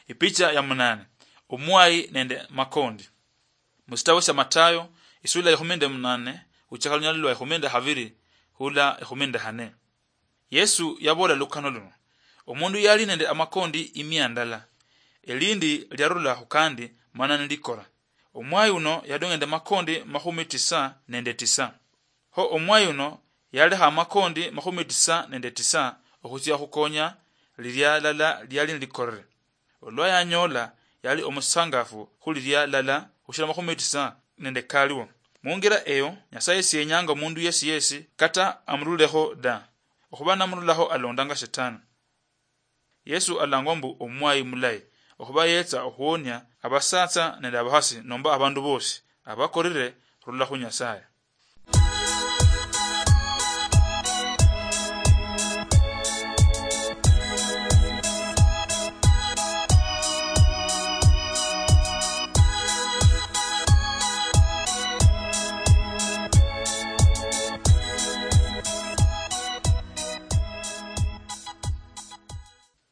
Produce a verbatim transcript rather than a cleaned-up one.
Ipicha ya munane. Omwayi nende makondi. Musitabu sya Matayo, isula ikhumi nende munane, khuchaka lunyali lwa ikhumi nende khabili khula ikhumi nende khane. Yesu yaboola lukano luno: Omundu yali nende amakondi imia ndala, elindi lyarula khukandi mana nilikora. Omwayi uno yadong'ende makondi makhumi tisa nende tisa. Kho omwayi uno yalekha amakondi makhumi tisa nende tisa okhutsia khukonya lilia lala liali nilikorere. Olwa yanyola, yali omusangafu khulilia lala khushila makhumi tisa nende kaliwo. Mungira eyo, Nyasaye siyenyanga omundu yesi yesi kata amurulekho da. Okhuba namurulakho alondanga Shetani. Yesu alangwa mbu omwayi mulayi, okhuba yetsa okhuwonia abasatsa nende abakhasi nomba abandu bosi abakorire khurula khu Nyasaye.